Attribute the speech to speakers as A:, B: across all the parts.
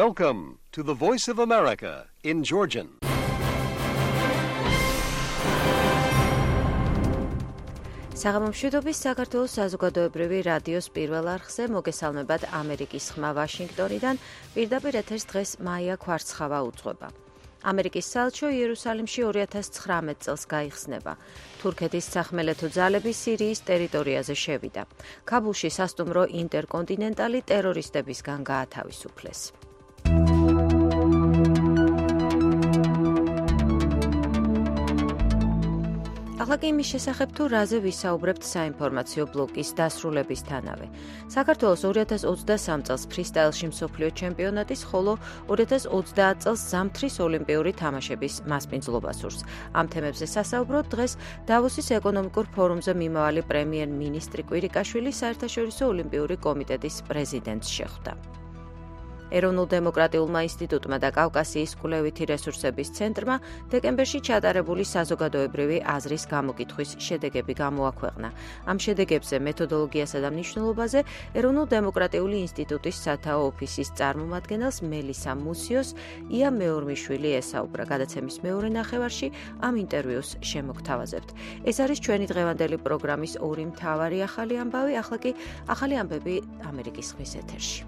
A: Welcome to the Voice of America in Georgian.
B: საღამომშვიდობის საქართველოს საზოგადოებრივი რადიოს პირველ არხზე მოგესალმებათ ამერიკის ხმა ვაშინგტონიდან. პირდაპირ ეთერს დღეს მაია ქვარცხავა უძღვება. ამერიკის საელჩო იერუსალიმში 2019 წელს გაიხსნება. თურქეთის სახმელეთო ძალები სირიის ტერიტორიაზე შევიდა. ქაბულში სასტუმრო ინტერკონტინენტალი ტერორისტებისგან გაათავისუფლეს. ახლა კი იმის შესახებ თუ რაზე ვისაუბრებთ საინფორმაციო ბლოკის დასრულებისთანავე. საქართველოს 2023 წელს ფრისტაილში მსოფლიო ჩემპიონატის, ხოლო 2030 წელს ზამთრის ოლიმპიური თამაშების მასპინძლობა სურს. ამ თემებზე სასაუბროდ დღეს დავოსის ეკონომიკურ ფორუმზე მიმავალი პრემიერ-მინისტრი კვირიკაშვილი საერთაშორისო ოლიმპიური კომიტეტის პრეზიდენტს შეხვდა. ეროვნულ-დემოკრატიულმა ინსტიტუტმა და კავკასიის კვლევითი რესურსების ცენტრმა დეკემბერში ჩატარებული საზოგადოებრივი აზრის გამოკითხვის შედეგები გამოაქვეყნა. ამ შედეგებზე მეთოდოლოგიასა და მნიშვნელობაზე ეროვნულ-დემოკრატიული ინსტიტუტის სათაო ოფისის წარმომადგენელს მელისა მუსიოს ია მეორმიშვილი ესაუბრა. გადაცემის მეორე ნახევარში ამ ინტერვიუს შემოგთავაზებთ. ეს არის ჩვენი დღევანდელი პროგრამის ორი მთავარი ახალი ამბავი, ახლა კი ახალი ამბები ამერიკის ხმის ეთერში.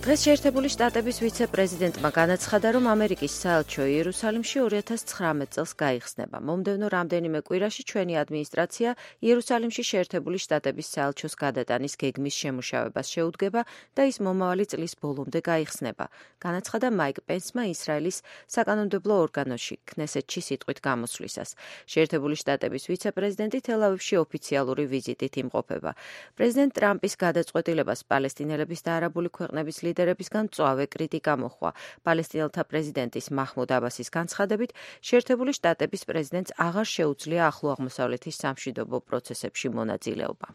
B: დღეს შეერთებული შტატების ვიცე-პრეზიდენტმა განაცხადა, რომ ამერიკის საელჩო იერუსალიმში 2019 წელს გაიხსნება. მომდევნო რამდენიმე კვირაში ჩვენი ადმინისტრაცია იერუსალიმში შეერთებული შტატების საელჩოს გადატანის გეგმის შემუშავებას შეუდგება და ის მომავალი წლის ბოლომდე გაიხსნება. განაცხადა მაიკ პენსმა ისრაელის საკანონმდებლო ორგანოში ქნესეთში სიტყვით გამოსვლისას. შეერთებული შტატების ვიცე-პრეზიდენტი თელ-ავივში ოფიციალური ვიზიტით იმყოფება. პრეზიდენტ ტრამპის გადაწყვეტილებას პალესტინელების და არაბული ქვეყნების ლიდერებისგან მწვავე კრიტიკა მოჰყვა. პალესტინელთა პრეზიდენტის მაჰმუდ აბასის განცხადებით, შეერთებული შტატების პრეზიდენტს აღარ შეუძლია ახლო აღმოსავლეთის სამშვიდობო პროცესებში მონაწილეობა.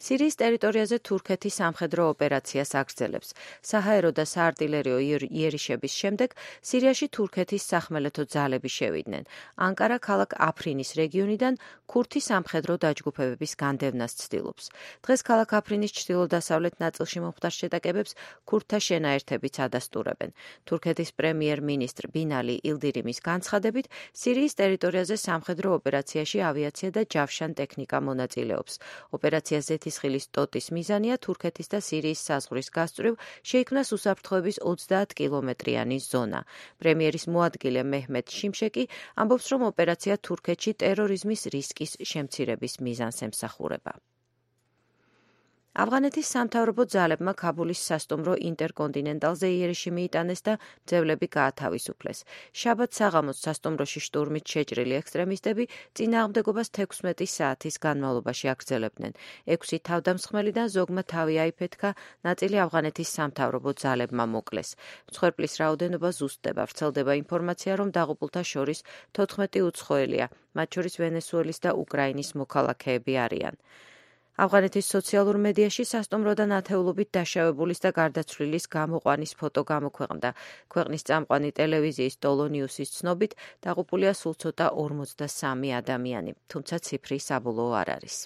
B: სირიის ტერიტორიაზე თურქეთი სამხედრო ოპერაციას აგრძელებს. საჰაერო და საარტილერიო იერიშების შემდეგ სირიაში თურქეთის სახმელეთო ძალები შევიდნენ. ანკარა ქალაქ აფრინის რეგიონიდან ქურთი სამხედრო დაჯგუფებების განდევნას ცდილობს. დღეს ქალაქ აფრინის ჩრდილო-დასავლეთ ნაწილში მომხდარ შეტაკებებს ქურთთა შენაერთებიც ადასტურებენ. თურქეთის პრემიერ-მინისტრ ბინალი ილდირიმის განცხადებით, სირიის ტერიტორიაზე სამხედრო ოპერაციაში ავიაცია და ჯავშან ტექნიკა მონაწილეობს. ოპერაცია ზეთისხილის ტოტის მიზანია თურქეთის და სირიის საზღვრის გასწვრივ შეიქმნას უსაფრთხოების 30 კილომეტრიანი ზონა. პრემიერის მოადგილე მეჰმედ შიმშეკი ამბობს, რომ ოპერაცია თურქეთში ტერორიზმის რისკის შემცირების მიზანს ემსახურება. ავღანეთის სამთავრობო ძალებმა ქაბულის სასტუმრო ინტერკონტინენტალზე იერიში მიიტანეს და მძევლები გაათავისუფლეს. შაბათ საღამოს სასტუმროში შტურმით შეჭრილი ექსტრემისტები წინააღმდეგობას 16 საათის განმავლობაში აგრძელებდნენ. 6 თავდამსხმელიდან ზოგმა თავი აიფეთქა, ნაწილი ავღანეთის სამთავრობო ძალებმა მოკლეს. მსხვერპლის რაოდენობა ზუსტდება. ვრცელდება ინფორმაცია, რომ დაღუპულთა შორის 14 უცხოელია, მათ შორის ვენესუელის და უკრაინის მოქალაქეები არიან. ავღანეთის სოციალურ მედიაში სასტუმროდან ათეულობით დაშავებულის და გარდაცვლილის გამოყვანის ფოტო გამოქვეყნდა. ქვეყნის წამყვანი ტელევიზიის ტოლო ნიუსის ცნობით, დაღუპულია სულ ცოტა 43 ადამიანი, თუმცა ციფრი საბოლოო არ არის.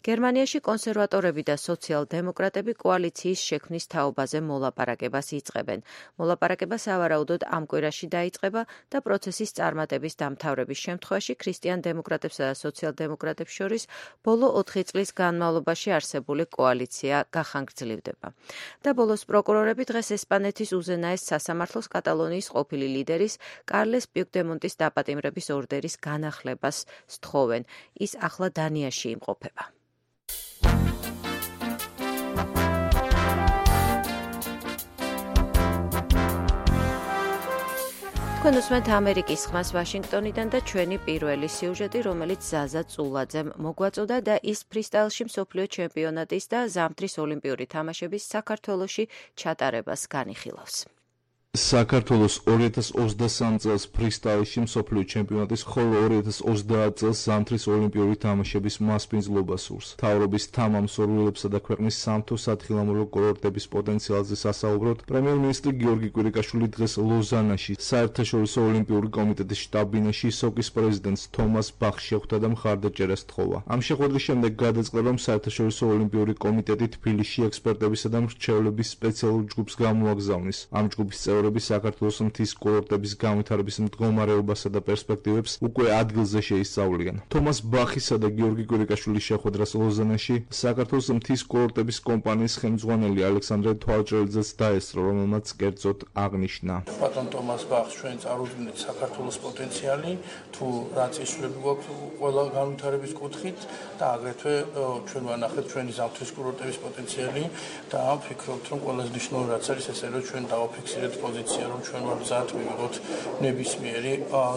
B: გერმანიაში კონსერვატორები და სოციალ-დემოკრატები კოალიციის შექმნის თაობაზე მოლაპარაკებას იწყებენ. მოლაპარაკება სავარაუდოდ ამ კვირაში დაიწყება და პროცესის წარმატების დამთავრების შემთხვევაში ქრისტიან-დემოკრატებსა და სოციალ-დემოკრატებს შორის ბოლო 4 წლის განმავლობაში არსებული კოალიცია გახანგრძლივდება. და ბოლოს პროკურორები დღეს ესპანეთის უზენაეს სასამართლოს კატალონიის ყოფილი ლიდერის კარლეს პიუკდემონტის დაპატიმრების ორდერის განახლებას სთხოვენ. ის ახლა დანიაში იმყოფება. თქვენ უსმენთ ამერიკის ხმას ვაშინგტონიდან და ჩვენი პირველი სიუჟეტი, რომელიც ზაზა წულაძემ მოგვაწოდა და ის ფრისტაილში მსოფლიო ჩემპიონატის და ზამთრის ოლიმპიური თამაშების საქართველოში ჩატარებას განიხილავს.
C: საქართველოს 2023 წელს ფრისტაილში მსოფლიო ჩემპიონატის, ხოლო 2030 წელს ზამთრის ოლიმპიური თამაშების მასპინძლობა სურს. მთავრობის თანამსახურებისა და ქვეყნის სამთო სათხილამურო კურორტების პოტენციალზე სასაუბროდ, პრემიერ-მინისტრი გიორგი კვირიკაშვილი დღეს ლოზანაში საერთაშორისო ოლიმპიური კომიტეტის შტაბ-ბინაში სოკის პრეზიდენტს თომას ბახს შეხვდა და მხარდაჭერას თხოვა. ამ შეხვედრის შემდეგ გადაწყდა, რომ საერთაშორისო ოლიმპიური კომიტეტი თბილისში ექსპერტებისა და მრჩევლების სპეციალურ ჯგუფს გამოაგზავნის. ამ ჯგუფის საქართველოს მთის კურორტების განვითარების მდგომარეობასა და პერსპექტივებს უკვე ადგილზე შეისწავლიან. თომას ბახისა და გიორგი კვირიკაშვილის შეხვედრას ლოზანაში საქართველოს მთის კურორტების კომპანიის ხელმძღვანელი ალექსანდრე თვალჭრელიძეც დაესწრო, რომელმაც კერძოდ აღნიშნა.
D: ბატონ თომას ბახს ჩვენ წარუდგინეთ საქართველოს პოტენციალი, თუ რა წესრიგები გვაქვს ყველა განვითარების კუთხით და აგრეთვე ჩვენ ვანახეთ ჩვენი ზამთრის კურორტების პოტენციალი და ვფიქრობთ, რომ ყველაზე მნიშვნელოვანი რაც არის ეს არის, რომ ჩვენ დავაფიქსირეთ პოზიცია, რომ ჩვენ ვართ მზად მივიღოთ ნებისმიერი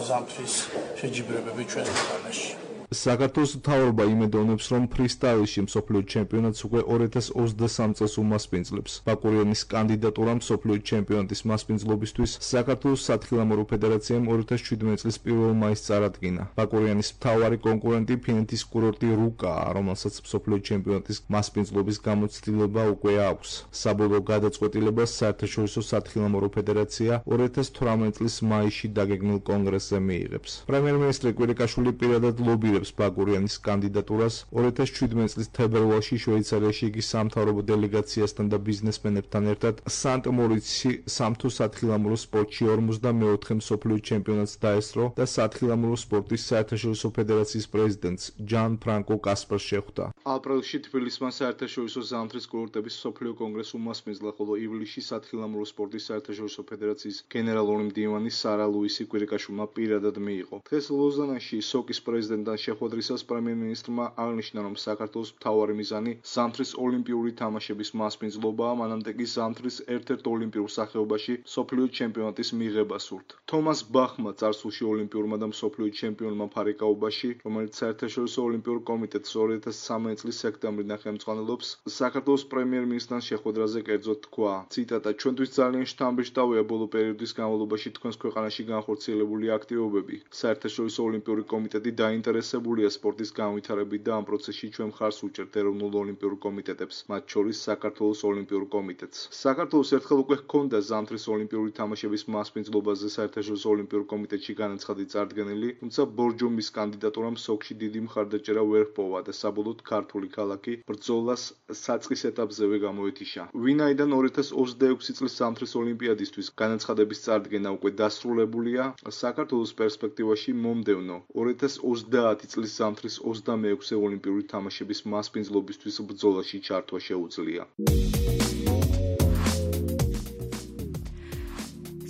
D: ზამთრის შეჯიბრებები ჩვენს ქვეყანაში.
C: საქართველოს მთავრობა იმედოვნებს, რომ ფრისტაილში მსოფლიო ჩემპიონატს უკვე 2023 წელს უმასპინძლებს. ბაკურიანის კანდიდატურა მსოფლიო ჩემპიონატის მასპინძლობისთვის საქართველოს სათხილამურო ფედერაციამ 2017 წლის 1 მაისს წარადგინა. ბაკურიანის მთავარი კონკურენტი ფინეთის კურორტი რუკაა, რომელსაც მსოფლიო ჩემპიონატის მასპინძლობის გამოცდილება უკვე აქვს. საბოლოო გადაწყვეტილებას საერთაშორისო სათხილამურო ფედერაცია 2018 წლის მაისში დაგეგმილ კონგრესზე მიიღებს. პრემიერ-მინისტრი კვირიკაშვილი პირადად ლობირებს ბაკურიანის კანდიდატურას. 2017 წლის თებერვალში შვეიცარიაში იგი სამთავრობო დელეგაციასთან და ბიზნესმენებთან ერთად სანტ-მორიცში სამთო სათხილამურო სპორტში 44 მსოფლიო ჩემპიონატს დაესწრო და სათხილამურო სპორტის საერთაშორისო ფედერაციის პრეზიდენტს ჯან ფრანკო კასპარს შეხვდა. აპრილში თბილისმა საერთაშორისო ზამთრის კურორტების მსოფლიო კონგრესი უმასპინძლა, ხოლო ივლისში სათხილამურო სპორტის საერთაშორისო ფედერაციის გენერალური მდივანი სარა ლუისი კვირიკაშვილმა პირადად მიიღო. დღეს ლოზანაში სოკის პრეზიდენტთან შეხვედრისას პრემიერ-მინისტრმა აღნიშნა, რომ საქართველოს მთავარი მიზანი ზამთრის ოლიმპიური თამაშების მასპინძლობაა, მანამდე კი ზამთრის ერთ-ერთ ოლიმპიურ სახეობაში მსოფლიო ჩემპიონატის მიღება სურთ. თომას ბახმა წარსულში ოლიმპიურმა და მსოფლიო ჩემპიონმა ფარიკაობაში, რომელიც საერთაშორისო ოლიმპიურ კომიტეტს 2013 წლის სექტემბრიდან ხელმძღვანელობს, საქართველოს პრემიერ-მინისტრთან შეხვედრაზე კერძოდ თქვა, ციტატა: ჩვენთვის ძალიან შთამბეჭდავია ბოლო პერიოდის განმავლობაში თქვენს ქვეყანაში განხორციელებული აქტივობები. საერთაშორისო ოლიმპიური კომიტეტი დაინტერესებულია სპორტის განვითარებით და ამ პროცესში ჩვენ მხარს უჭერთ ეროვნულ ოლიმპიურ კომიტეტებს, მათ შორის საქართველოს ოლიმპიურ კომიტეტს. საქართველოს ერთხელ უკვე ჰქონდა ზამთრის ოლიმპიური თამაშების მასპინძლობაზე საერთაშორისო ოლიმპიურ კომიტეტში განაცხადი წარდგენილი, თუმცა ბორჯომის კანდიდატურამ სოკში დიდი მხარდაჭერა ვერ ჰპოვა და საბოლოოდ ქართული ქალაქი ბრძოლას საწყის ეტაპზევე გამოეთიშა. ვინაიდან 2026 წლის ზამთრის ოლიმპიადისთვის განაცხადების წარდგენა უკვე დასრულებულია, საქართველოს პერსპექტივაში მომდევნო 2030 წლის ზამთრის 26-ე ოლიმპიური თამაშების მასპინძლობისთვის ბრძოლაში ჩართვა შეუძლია.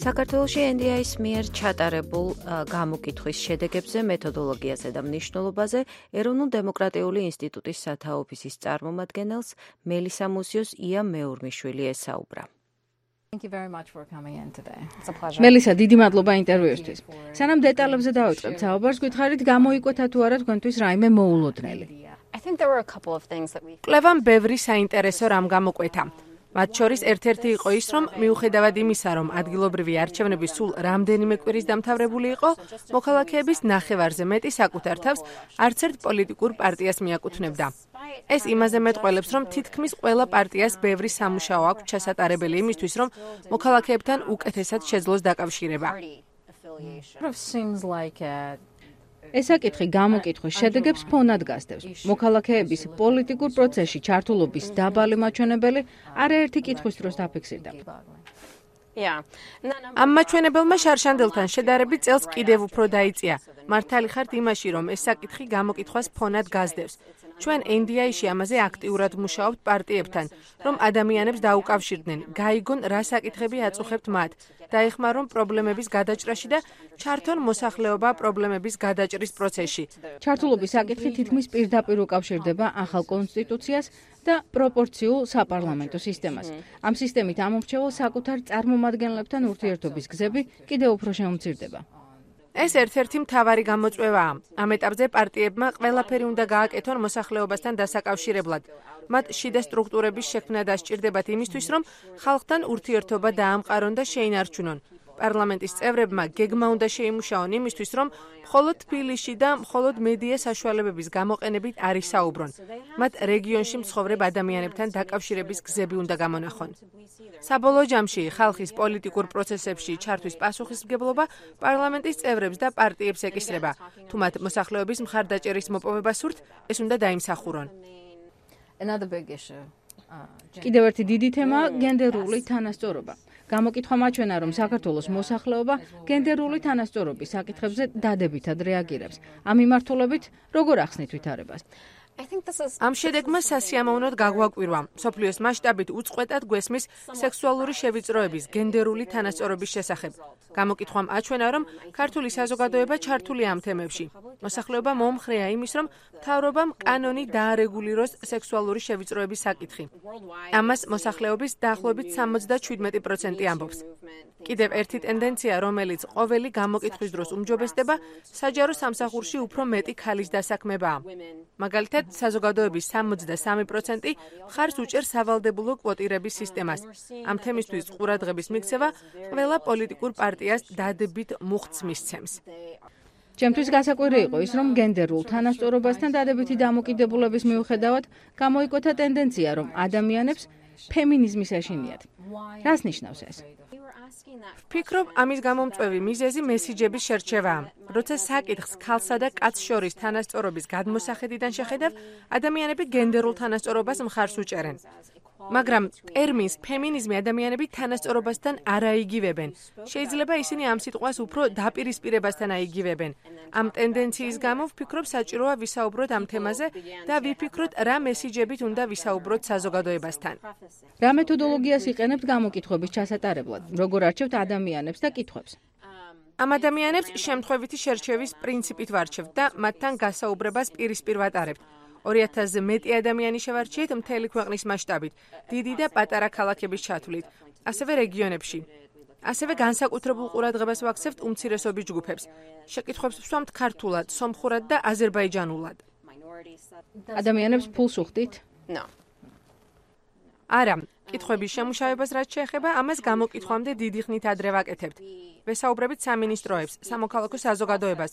B: საქართველოში NDI-ის მიერ ჩატარებულ გამოკითხვის შედეგებზე, მეთოდოლოგიაზე და მნიშვნელობაზე ეროვნულ დემოკრატიული ინსტიტუტის სათაო ოფისის წარმომადგენელს მელისა მუსიოს ია მეურმიშვილი ესაუბრა.
E: მელისა, დიდი მადლობა ინტერვიუსთვის. სანამ დეტალებზე დავიწყებთ საუბარს, გითხარით გამოიკვეთა თუ არა თქვენთვის რაიმე მოულოდნელი.
F: კვლევამ ბევრი საინტერესო რამ გამოკვეთა. მათ შორის ერთ-ერთი იყო ის, რომ მიუხედავად იმისა, რომ ადგილობრივი არჩევნები სულ რამდენიმე კვირის დამთავრებული იყო, მოქალაქეების ნახევარზე მეტი საკუთარ თავს არც ერთ პოლიტიკურ პარტიას მიაკუთვნებდა. ეს იმაზე მეტყველებს, რომ თითქმის ყველა პარტიას ბევრი სამუშაო აქვს ჩასატარებელი იმისთვის, რომ მოქალაქეებთან უკეთესად შეძლოს დაკავშირება.
E: ეს საკითხი გამოკითხვის შედეგებს ფონად გასდევს. მოქალაქეების პოლიტიკურ პროცესში ჩართულობის დაბალი მაჩვენებელი არაერთი კითხვის დროს დაფიქსირდა.
F: ამ მაჩვენებელმა შარშანდელთან შედარებით წელს კიდევ უფრო დაიწია. მართალი ხართ იმაში, რომ ეს საკითხი გამოკითხვას ფონად გასდევს. ჩვენ NDI-ში ამაზე აქტიურად მუშაობთ პარტიებთან, რომ ადამიანებს დაუკავშირდნენ, გაიგონ რა საკითხები აწუხებთ მათ, დაეხმარონ პრობლემების გადაჭრაში და ჩართონ მოსახლეობა პრობლემების გადაჭრის პროცესში.
E: ჩართულობის საკითხი თითქმის პირდაპირ უკავშირდება ახალ კონსტიტუციას და პროპორციულ საპარლამენტო სისტემას. ამ სისტემით ამორჩეულ საკუთარ წარმომადგენლებთან ურთიერთობის გზები კიდევ უფრო შემცირდება.
F: ეს ერთ-ერთი მთავარი გამოწვევაა. ამ ეტაპზე პარტიებმა ყველაფერი უნდა გააკეთონ მოსახლეობასთან დასაკავშირებლად. მათ შიდა სტრუქტურების შექმნა დასჭირდებათ იმისთვის, რომ ხალხთან ურთიერთობა დაამყარონ და შეინარჩუნონ. პარლამენტის წევრებმა გეგმა უნდა შეიმუშაონ იმისთვის, რომ მხოლოდ თბილისში და მხოლოდ მედია საშუალებების გამოყენებით არ ისაუბრონ. მათ რეგიონში მცხოვრებ ადამიანებთან დაკავშირების გზები უნდა გამონახონ. საბოლოო ჯამში ხალხის პოლიტიკურ პროცესებში ჩართვის პასუხისმგებლობა პარლამენტის წევრებს და პარტიებს ეკისრება. თუ მათ მოსახლეობის მხარდაჭერის მოპოვება სურთ, ეს უნდა დაიმსახურონ.
E: კიდევ ერთი დიდი თემაა გენდერული თანასწორობა. გამოკითხვა მაჩვენა, რომ საქართველოს მოსახლეობა გენდერული თანასწორობის საკითხებზე დადებითად რეაგირებს. ამ მიმართულებით როგორ ახსნით ვითარებას?
F: ამ შედეგმა სასიამოვნოდ გაგვაკვირვა. მსოფლიოს მასშტაბით უწყვეტად გვესმის სექსუალური შევიწროების გენდერული თანასწორობის შესახებ. გამოკითხვამ აჩვენა, რომ ქართული საზოგადოება ჩართულია ამ თემებში. მოსახლეობა მომხრეა იმის, რომ მთავრობამ კანონი დაარეგულიროს სექსუალური შევიწროების საკითხი. ამას მოსახლეობის დაახლოებით 77% ამბობს. კიდევ ერთი ტენდენცია, რომელიც ყოველი გამოკითხვის დროს უმჯობესდება, საჯარო სამსახურში უფრო მეტი ქალის დასაქმებაა. მაგალითად, საზოგადოების 73% მხარს უჭერს სავალდებულო კვოტირების სისტემას. ამ თემისთვის ყურადღების მიქცევა ყველა პოლიტიკურ პარტიას დადებით მუხტს მისცემს.
E: ჩემთვის გასაკვირი იყო ის, რომ გენდერულ თანასწორობასთან დადებითი დამოკიდებულების მიუხედავად გამოიკვეთა ტენდენცია, რომ ადამიანებს ფემინიზმის ეშინიათ. რას ნიშნავს ეს?
F: ვფიქრობ, ამის გამომწვევი მიზეზი მესიჯების შერჩევაა. როცა საკითხს ქალსა და კაცს შორის თანასწორობის გადმოსახედიდან შეხედავ, ადამიანები გენდერულ თანასწორობას მხარს უჭერენ. მაგრამ ტერმინს ფემინიზმი ადამიანები თანასწორობასთან არ აიგივებენ. შეიძლება ისინი ამ სიტყვას უფრო დაპირისპირებასთან აიგივებენ. ამ ტენდენციის გამო ვფიქრობ, საჭიროა ვისაუბროთ ამ თემაზე და ვიფიქროთ, რა მესიჯებით უნდა ვისაუბროთ საზოგადოებასთან.
E: რა მეთოდოლოგიას იყენებთ გამოკითხვების ჩასატარებლად? როგორ არჩევთ ადამიანებს და კითხვებს?
F: ამ ადამიანებს შემთხვევითი შერჩევის პრინციპით ვარჩევთ და მათთან გასაუბრებას პირისპირ ვატარებთ. 2000-ზე მეტი ადამიანი შევარჩიეთ მთელი ქვეყნის მასშტაბით, დიდი და პატარა ქალაქების ჩათვლით, ასევე რეგიონებში. ასევე განსაკუთრებულ ყურადღებას ვაქცევთ უმცირესობის ჯგუფებს. შეკითხვებს ვსვამთ ქართულად, სომხურად და აზერბაიჯანულად.
E: ადამიანებს ფულს უხდით?
F: არა, კითხვების შემუშავებას რაც შეეხება, ამას გამოკითხვამდე დიდი ხნით ადრე ვაკეთებთ. ვესაუბრებით სამინისტროებს, სამოქალაქო საზოგადოებას.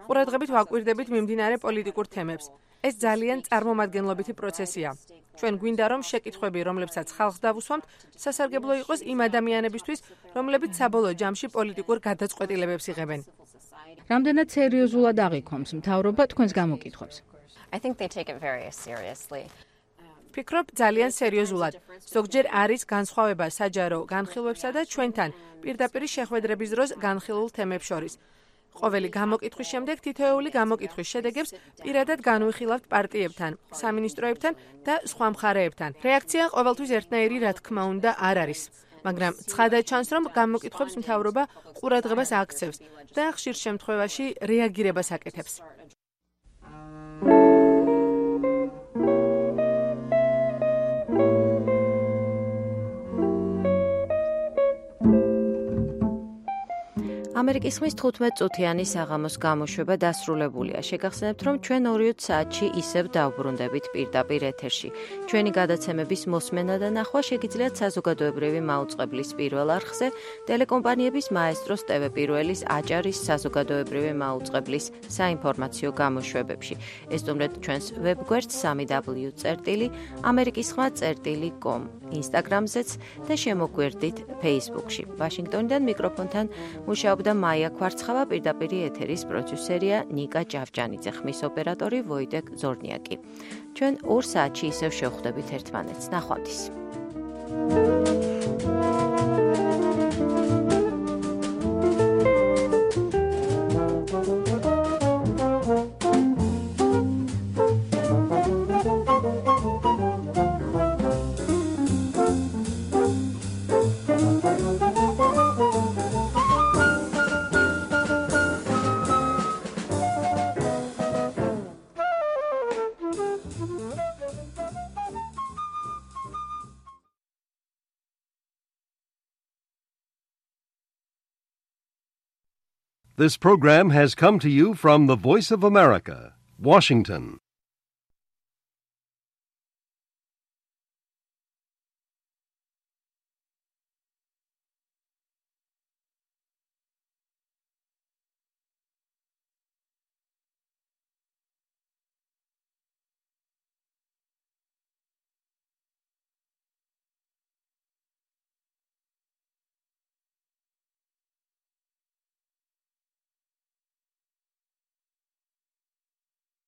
F: ყურადღებით ვაკვირდებით მიმდინარე პოლიტიკურ თემებს. ეს ძალიან წარმომადგენლობითი პროცესია. ჩვენ გვინდა, რომ შეკითხვები, რომლებსაც ხალხს დავუსვამთ, სასარგებლო იყოს იმ ადამიანებისთვის, რომლებიც საბოლოო ჯამში პოლიტიკურ გადაწყვეტილებებს იღებენ.
E: რამდენად სერიოზულად აღიქვამს მთავრობა თქვენს გამოკითხვებს?
F: ვფიქრობ, ძალიან სერიოზულად. ზოგჯერ არის განსხვავება საჯარო განხილვებსა და ჩვენთან პირდაპირ შეხვედრების დროს განხილულ თემებს შორის. ყოველი გამოკითხვის შემდეგ თითოეული გამოკითხვის შედეგებს პირადად განვიხილავთ პარტიებთან, სამინისტროებთან და სხვა მხარეებთან. რეაქცია ყოველთვის ერთნაირი, რა თქმა უნდა, არ არის. მაგრამ ცხადად ჩანს, რომ გამოკითხვებს მთავრობა ყურადღებას აქცევს და ხშირ შემთხვევაში რეაგირებას აკეთებს.
B: ამერიკის ხმის 15 წუთიანი საღამოს გამოშვება დასრულებულია. შეგახსენებთ, რომ ჩვენ 2 საათში ისევ დავბრუნდებით პირდაპირ ეთერში. ჩვენი გადაცემების მოსმენა და ნახვა შეგიძლიათ საზოგადოებრივი მაუწყებლის პირველ არხზე, ტელეკომპანიების მაესტროს TV პირველის აჭარის საზოგადოებრივი მაუწყებლის საინფორმაციო გამოშვებებში. ესტუმრეთ ჩვენს ვებგვერდს www.amerikisxma.com, ინსტაგრამზეც და შემოგვერდით Facebook-ში. ვაშინგტონიდან მიკროფონთან მუშაობდა მაია კვარცხავა, პირდაპირ ეთერის პროდიუსერია ნიკა ჭავჭანიძე, ხმის ოპერატორი ვოიდეკ ზორნიაკი. ჩვენ 2 საათში ისევ შევხვდებით ერთმანეთს. ნახვამდის.
A: This program has come to you from the Voice of America, Washington.